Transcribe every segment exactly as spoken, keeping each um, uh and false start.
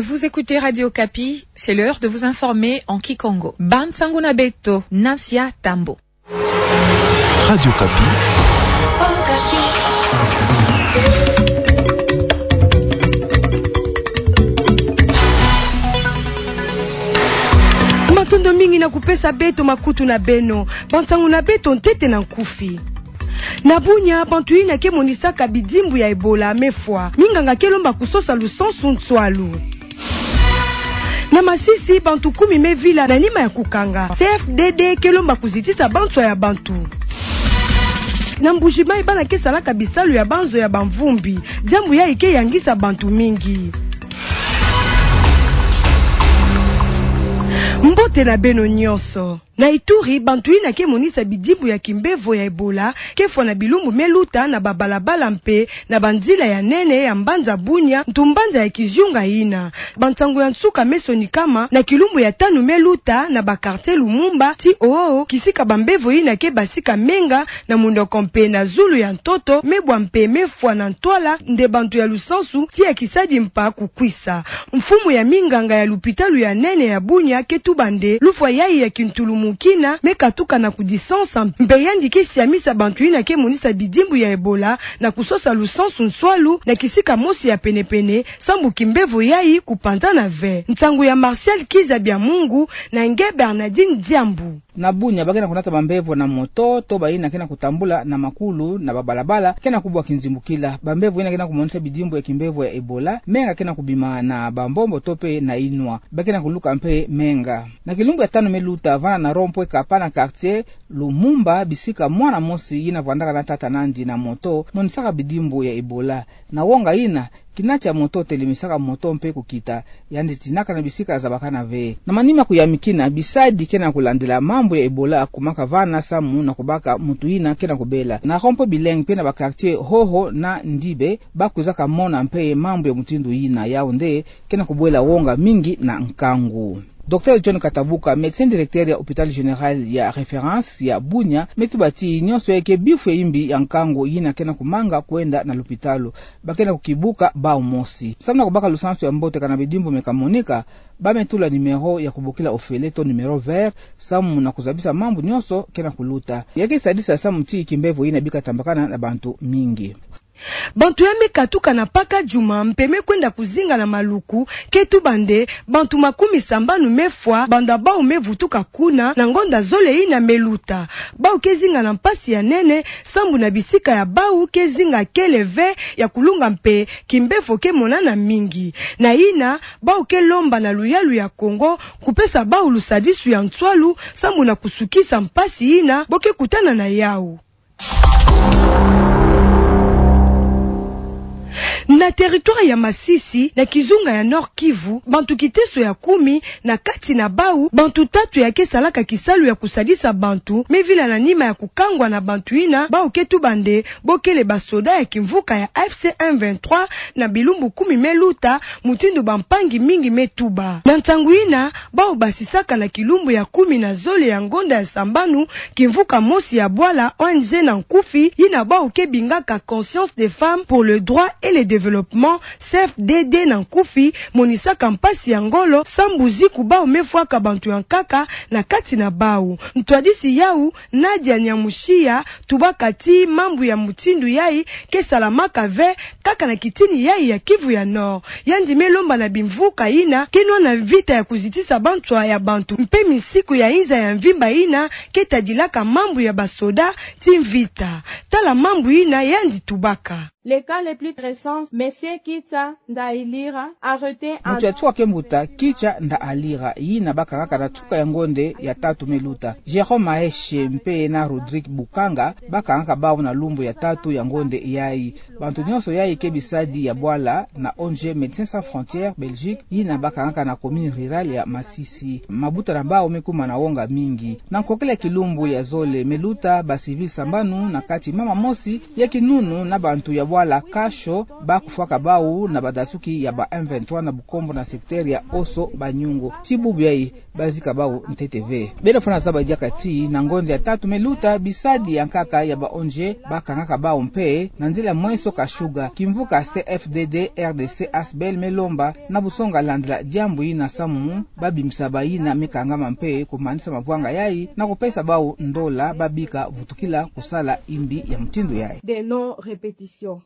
Vous écoutez Radio Okapi, c'est l'heure de vous informer en kikongo. Bansango na beto, Nasia Tambo. Radio Okapi. Matondo mingi na kupesa beto makutu na beno. Bansango na beto ntete na nkufi. Na Bunia, bantu yina ke monisaka bidimbu ya Ebola me fwa. Minganga ke lomba kusosa lusansu nswalu. Na Masisi, bantu kumi me vila na nima ya kukanga. C F D D ke lomba kuzitisa banswa ya bantu. Na Mbuji-Mayi, bana ke salaka bisalu ya banzo ya bamvumbi. Diambu yayi ke yangisa bantu mingi. Mbote na beno nyonso. Na Ituri, bantu yina ke monisa bidimbu ya kimbevo ya Ebola ke fwa na bilumbu me luta na babalabala mpe na banzila ya nene ya mbanza Bunia, ntu mbanza ya kizunga yina. Bansango ya nsuka me sonikama na kilumbu ya tanu me luta na ba quartier Lumumba, ti oyo kisika bambevo yina ke basika menga na munoko mpe na zulu ya ntoto, me bwa mpe me fwa na ntwala nde bantu ya lusansu ti ya kisadi mpa kukwisa. Mfumu ya minganga ya lupitalu ya nene ya Bunia ke tuba nde lufwa yayi ya kintulumukina me katuka na kudisansa, mpe yandi ke siamisa bantu yina ke monisa bidimbu ya Ebola na kusosa lusansu nswalu na kisika mosi ya penepene, sambu kimbevo yayi kupanzana ve. Nsangu ya Martial Kiza Biamungu na nge Bernardine Diambu. Na Bunia, ba ke na kunata bambevo na moto, to bayina ke na kutambula na makulu na babalabala, ke na kubwa kinzimbukila. Bambevo yina ke na kumonisa bidimbu ya kimbevo ya Ebola, menga ke na kubima na bambombo to mpe na inwa. Ba ke na kuluka mpe menga. Na kilumbu ya tanu me luta, vana na rond-point Kapa na quartier Lumumba, bisika mwana mosi yina vandaka na tata nandi na moto, monisaka bidimbu ya Ebola. Na wonga yina, kina tia moto telemisaka moto mpe kukita, yandi tinaka na bisika zabakana ve. Na manima kuyamikina, bisadi ke na kulandila mambu ya Ebola kumaka vana samu na kubaka muntu yina ke na kubela. Na rond-point Bileng mpe na ba quartier Hoho na Ndibe, ba kwizaka mona mpe mambu ya mutindu yina, yau nde ke na kubwela wonga mingi na nkangu. Docteur John Katabuka, médecin directeur ya Hôpital Général ya Référence ya Bunia, me tuba ti nyonso yayi ke bifu ya imbi ya nkangu yina ke na kumanga kwenda na lupitalu. Ba ke na kukibuka bau mosi. Samu na kubaka lusansu ya mbote kana bidimbu me kamonika, ba me tula numéro ya kubokila ofele to numéro vert, samu na kuzabisa mambu nyonso ke na kuluta. Ya ke sadisa samu ti kimbevo yina bika tambakana na bantu mingi. Bantu ya me katuka na Paka Juma mpe me kwenda kuzinga na maluku ke tuba nde bantu makumi sambanu me fwa banda bau me vutuka kuna na ngonda zole yina me luta. Bau ke zinga na mpasi ya nene, sambu na bisika ya bau ke zinga kele ve ya kulunga mpe kimbevo ke monana mingi. Na yina, bau ke lomba na luyalu ya Kongo kupesa bau lusadisu ya nswalu, sambu na kusukisa mpasi yina bo ke kutana na yau. Na territoire ya Masisi, na kizunga ya Nord-Kivu, bantu kiteso ya kumi, na kati na bau bantu tatu ya ke salaka kisalu ya kusadisa bantu, me vila na nima ya kukangwa na bantu yina bau ke tuba nde bo kele basoda ya kimvuka ya A F C M vingt-trois na bilumbu kumi me luta, mutindu bampangi mingi me tuba. Na nsangu yina, bau basisaka na kilumbu ya kumi na zole ya ngonda ya sambanu kimvuka mosi ya bwala, O N G na nkufi, yina bau ke bingaka Conscience des Femmes pour le Droit et le Développement, C F D D na nkufi, monisaka mpasi ya ngolo sambu ziku bau me fwaka bantu ya nkaka na kati na bau. Ntwadisi yau, Nadia Nyamushia, tubaka ti mambu ya mutindu yayi ke salamaka ve kaka na kitini yayi ya Kivu ya Nord. Yandi me lomba na bimvuka yina ke nwana mvita ya kuzitisa banswa ya bantu mpe misiku ya inza ya mvimba yina ke tadilaka mambu ya basoda ti mvita. Tala mambu yina yandi tubaka. Les cas les plus récents, Monsieur Kitsa Ndailira, arrêté en... Muntu ya nsuka ke mbuta Kitsa Ndailira, yina bakangaka na nsuka ya ngonde ya tatu me luta. Jérôme Maeshe mpe na Rodrigue Bukanga, bakangaka bau na lumbu ya tatu ya ngonde yayi. Bantu nyonso yayi ke bisadi ya bwala na O N G Médecins Sans Frontières Belgique, yina bakangaka na commune rurale ya Masisi. Mabuta na bau me kuma na wonga mingi. Na nkokila ya kilumbu ya zole me luta, ba civils sambanu, na kati mama mosi ya kinunu na bantu ya Bala Kasho, bakufwaka bau na badasuki ya ba M vingt-trois na Bukombo na secteur ya Oso Banyungu. Ti bubu yayi bazika bau ntete ve. Bele fwana zaba diaka ti na ngonde ya tatu me luta, bisadi ya nkaka ya ba O N G bakangaka bau mpe na nzila mwenso Kashuga. Kimvuka C F D D R D C Asbl me lomba na busonga landila diambu yina samu babimbisa bayina me kangama mpe kumanisa mavwanga yayi na kupesa bau ndola babika vutukila kusala imbi ya mutindu yayi. Des non-répétitions.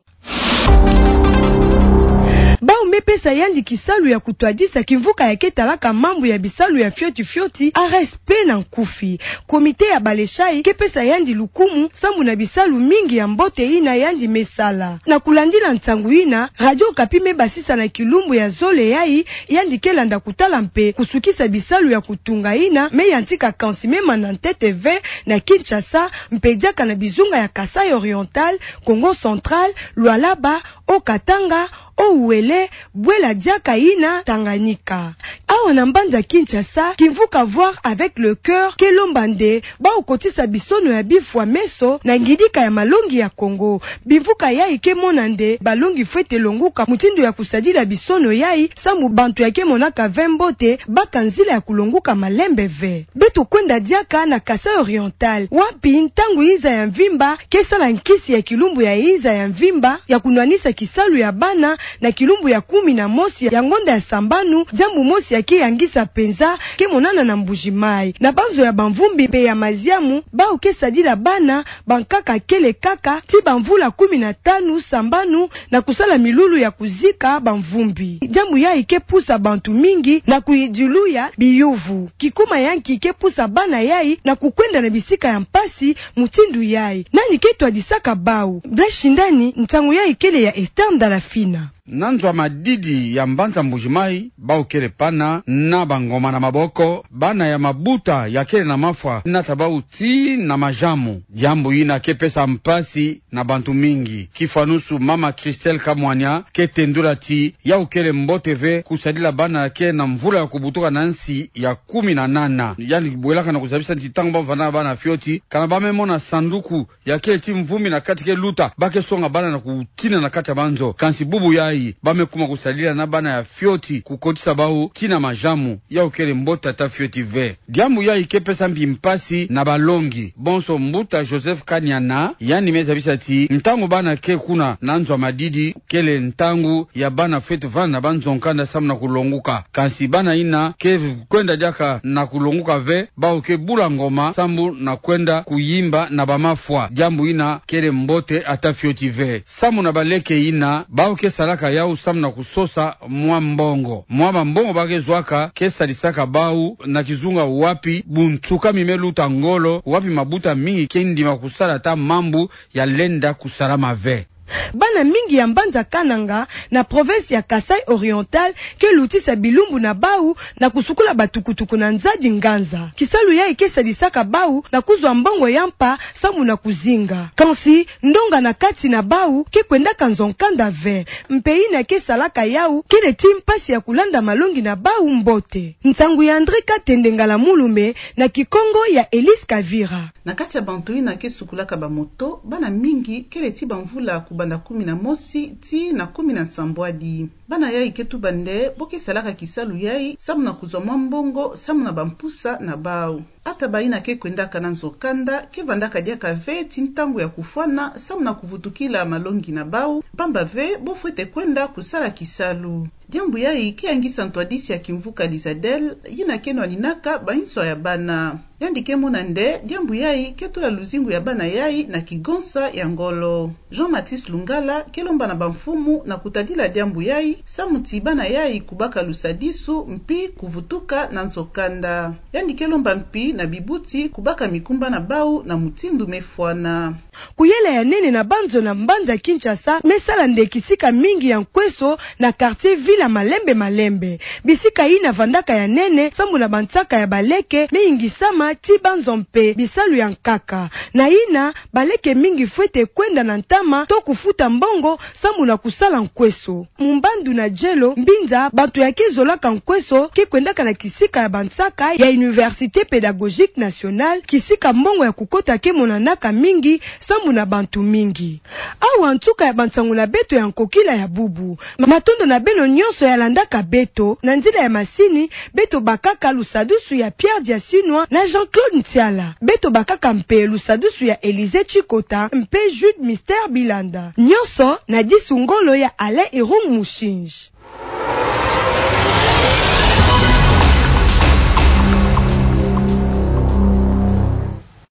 Bau me pesa yandi kisalu ya kutwadisa kimvuka ya ke talaka mambu ya bisalu ya fioti fioti, R S P na nkufi. Komite ya ba Lechai ke pesa yandi lukumu samu na bisalu mingi ya mbote yina yandi me sala. Na kulandila nsangu yina, Radio Okapi me basisa na kilumbu ya zole yayi, yandi ke landa kutala mpe kusukisa bisalu ya kutunga yina me yantika kansi me mana ntete ve na Kinshasa, mpe diaka na bizunga ya Kasaï Oriental, Kongo Central, Lualaba, Haut-Katanga, Haut-Uele, bwela diaka yina Tanganyika. Awa na mbanza Kinshasa, kimvuka Voir avec le Cœur ke lomba nde bau kotisa bisono ya bifwa meso na ngidika ya malongi ya Kongo. Bimvuka yayi ke mona nde balongi fwete longuka mutindu ya kusadila bisono yayi, samu bantu ya ke monaka ve mbote baka nzila ya kulonguka malembe ve. Beto kwenda diaka na Kasaï Oriental, wapi ntangu yinza ya mvimba ke sala nkisi ya kilumbu ya yinza ya mvimba ya kunwanisa kisalu ya bana na kilumbu ya kumi na mosi ya ngonda ya sambanu, diambu mosi ya ke yangisa mpenza ke monana na Mbuji-Mayi. Na banzo ya bamvumbi mpe ya maziamu, bau ke sadila bana bankaka kele kaka ti bamvula kumi na tanu, sambanu, na kusala milulu ya kuzika bamvumbi. Diambu yayi ke pusa bantu mingi na kuyidiluya biyuvu. Kikuma ya nki ke pusa bana yayi na kukwenda na bisika ya mpasi mutindu yayi? Nani ke twadisaka bau? Blaise Shindani, nsangu yayi kele ya Esther Ndalafina. Na nzo ya madidi ya mbanza Mbuji-Mayi, bau kele pana na bangoma na maboko, bana ya mabuta ya kele na mafwa nata bau tii na majamu. Diambu yina ke pesa mpasi na bantu mingi. Kifwanusu mama Christelle Kamwanya ke tendula ti yau kele mbote ve kusadila bana ya ke na mvula ya kubutuka na nsi ya kumi na nana. Yandi bwelaka na kusabisa ti ntangu bavanda na bana fioti, kana ba me mona sanduku ya kele ti mvumbi na kati ke luta, ba ke songa bana na kutina na kati ya banzo. Kansi bubu yayi, ba me kuma kusadila na bana ya fioti kukotisa bau tii na majamu, yau kele mbote ata fioti ve. Diambu yayi ke pesa mbi mpasi na balongi. Bonso mbuta Joseph Kaniana, yandi me zabisa ti ntangu bana ke kuna na nzo ya madidi, kele ntangu ya bana fwete vanda na banzo-nkanda samu na kulonguka. Kansi bana yina ke kwenda diaka na kulonguka ve, bau ke bula ngoma samu na kwenda kuyimba na bamafwa. Diambu yina kele mbote ata fioti ve. Samu na baleke yina, bau ke salaka yau samu na kusosa mwa mbongo. Mwa bambongo ba ke zwaka ke sadisaka bau na kizunga wapi bunsuka mi me luta ngolo, wapi mabuta mingi ke ndima kusala ata mambu ya lenda kusalama ve. Bana mingi ya mbanza Kananga, na province ya Kasaï Oriental, ke lutisa bilumbu na bau na kusukula batukutuku na nzadi nganza. Kisalu yayi ke sadisaka bau na kuzwa mbongo ya mpa samu na kuzinga. Kansi ndonga na kati na bau ke kwendaka nzo-nkanda ve. Mpe yina ke salaka yau kele ti mpasi ya kulanda malongi na bau mbote. Nsangu ya André Katende Ngala Mulume, na Kikongo ya Elise Kavira. Na kati ya bantu yina ke sukulaka bamoto, bana mingi kele ti bamvula kubanda kumi na mosi tii na kumi na nsambwadi. Bana yayi ke tuba nde bo ke salaka kisalu yayi samu na kuzwa mwa mbongo samu na bampusa na bau. Ata bayina ke kwendaka na nzo-nkanda ke vandaka diaka ve ti ntangu ya kufwana samu na kuvutukila malongi na bau, mpamba ve bo fwete kwenda kusala kisalu. Diambu yayi ke yangisa ntwadisi ya kimvuka Lizadel, yina ke nwaninaka banswa ya bana. Yandi ke mona nde diambu yayi ke tula luzingu ya bana yayi na kigonsa ya ngolo. Jean-Mathis Lungala ke lomba na bamfumu na kutadila diambu yayi, samu ti bana yayi kubaka lusadisu mpi kuvutuka na nzo-nkanda. Yandi ke lomba mpi na bibuti kubaka mikumba na bau na mutindu me fwana. Kuyela ya nene na banzo na mbanza Kinshasa me sala nde kisika mingi ya nkweso na quartier Villa malembe malembe. Bisika yina vandaka ya nene samu na bansaka ya baleke me yingisama ti banzo mpe bisalu ya nkaka. Na yina, baleke mingi fwete kwenda na ntama to kufuta mbongo sambu na kusala nkweso. Mu mbandu na jelo, mbinza bantu ya kizolaka nkweso ke kwendaka na kisika ya bansaka ya Université Pédagogique Nationale, kisika mbongo ya kukota ke monanaka mingi sambu na bantu mingi. Awa nsuka ya bansangu na beto ya nkokila ya bubu. Matondo na beno nyonso ya landaka beto. Na nzila ya masini, beto bakaka lusadusu ya Pierre Diasinwa na Jean-Claude Ntiala. Beto bakaka mpe lusadusu ya Élisée Tshikota mpe Jude Mister Bilanda. Nyonso na disu ngolo ya Alain Irung Mushinji.